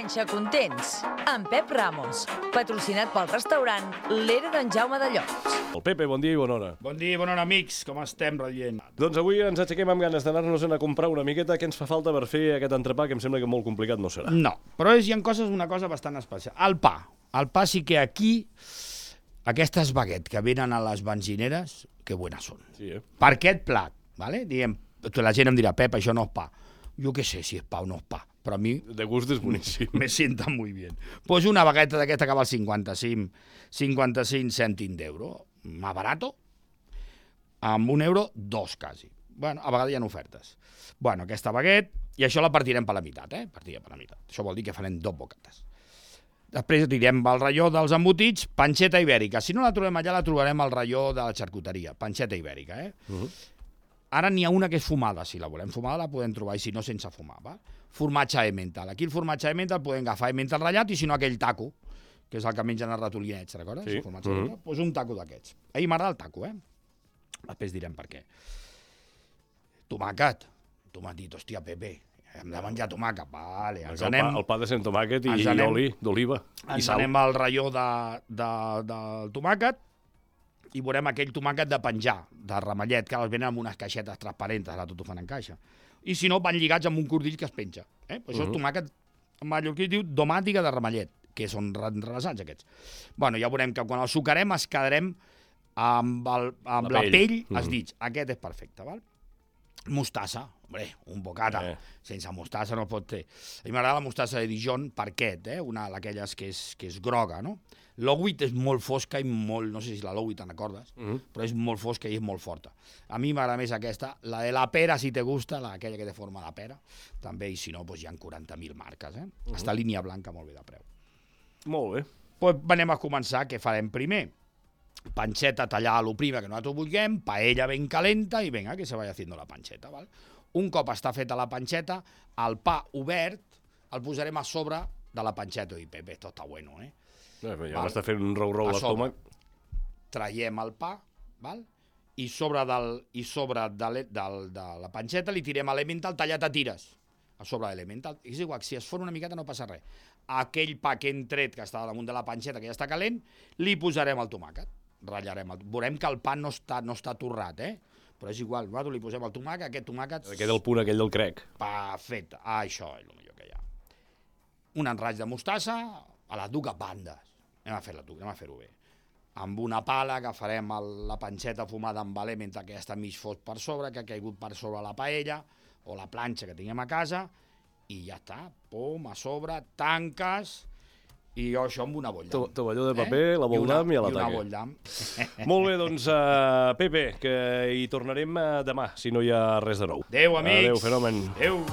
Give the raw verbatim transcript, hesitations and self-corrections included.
Panxa Contents, amb Pep Ramos, patrocinat pel restaurant L'Era d'en Jaume de Llocs. El Pepe, bon dia i bona hora. Bon dia i bona hora, amics. Com estem, rellent? Doncs avui ens aixequem amb ganes d'anar-nos a comprar una miqueta. Què ens fa falta per fer aquest entrepà, que em sembla que molt complicat no serà? No, però és, hi ha coses, una cosa bastant especial. El pa. El pa sí que aquí, aquestes baguettes que venen a les benzineres, que bones són. Sí, eh? Per aquest plat, ¿vale? Diguem, la gent em dirà, Pep, això no és pa. Jo què sé si és pa o no és pa, però a mi... De gust és boníssim. Me sienta muy bien. Pues una bagueta d'aquesta que val cinquanta-cinc, cinquanta-cinc cèntims d'euro, más barato, amb un euro, dos quasi. Bueno, a vegades hi ha ofertes. Bueno, aquesta baguette, i això la partirem per la meitat, eh? Partirem per la meitat. Això vol dir que farem dos bocates. Després direm al raió dels embotits, panxeta ibèrica. Si no la trobem allà, la trobarem al raió de la xarcuteria. Panxeta ibèrica, eh? Uh -huh. Ara n'hi ha una que és fumada, si la volem fumada la podem trobar, i si no, sense fumar, va? Formatge Emmental. Aquí el formatge Emmental podem agafar Emmental ratllat, i si no, aquell taco, que és el que mengen els ratolinets, recordes? Sí. El formatge uh -huh. Doncs pues un taco d'aquests. A mi m'agrada el taco, eh? Després direm per què. Tomàquet. Tu m'has dit, hòstia, Pepe, hem de menjar tomàquet. Vale, ens el, anem... pa, el pa de sant tomàquet i anem, oli d'oliva i ens sal. anem al raió de, de, del tomàquet, i veurem aquell tomàquet de penjar, de ramellet, que els venen amb unes caixetes transparents, ara tot ho fan en caixa. I si no, van lligats amb un cordill que es penja. Eh? Això uh -huh. és tomàquet, en mallorquí diu domàtica de ramellet, que són enrevessats aquests. Bueno, ja veurem que quan el sucarem es quedarem amb, el, amb la, la pell, pell uh -huh. els dits. Aquest és perfecte, val? Mostassa, hombre, un bocata. Eh. Sense mostassa no pot fer. A mi m'agrada la mostassa de Dijon per aquest, eh? Una d'aquelles que és, que és groga, no? L'Owit és molt fosca i molt... No sé si la l'Owit te'n recordes, uh -huh. però és molt fosca i és molt forta. A mi m'agrada més aquesta. La de la pera, si te gusta, la, aquella que té forma de pera, també, i si no, doncs hi ha quaranta mil marques, eh? Uh -huh. Està línia blanca, molt bé de preu. Molt bé. Pues anem a començar. Què farem primer? Panxeta tallada a lo prima que nosaltres vulguem, paella ben calenta i vinga, que se vaya haciendo la panxeta, val? Un cop està feta la panxeta, el pa obert el posarem a sobre de la panxeta. I Pepe, esto està bueno, eh? Ja m'està fent un rou-rou a l'estómac. Traiem el pa, val? I sobre, del, i sobre de, de, de la panxeta li tirem l'Emmental tallat a tires, a sobre de l'Emmental. És igual, si es fora una miqueta no passa res. Aquell pa que hem tret, que està damunt de la panxeta, que ja està calent, li posarem el tomàquet. Ratllarem el... Veurem que el pa no està, no està torrat, eh? Però és igual, nosaltres li posem el tomàquet, aquest tomàquet... Queda el punt aquell del crec. Perfecte, ah, això és el millor que hi ha. Un enraig de mostassa a les dues bandes. Anem a fer-la tu, anem a fer-ho bé. Amb una pala agafarem el, la panxeta fumada amb valé mentre que està mig fos per sobre, que ha caigut per sobre la paella o la planxa que tinguem a casa, i ja està, pom, a sobre, tanques... I jo això amb una bolldam. Tovalló de paper, eh? La bolldam i, i a l'ataque. I una bolldam. Molt bé, doncs, uh, Pepe, que hi tornarem uh, demà, si no hi ha res de nou. Adéu, amics. Adéu, fenomen. Adéu.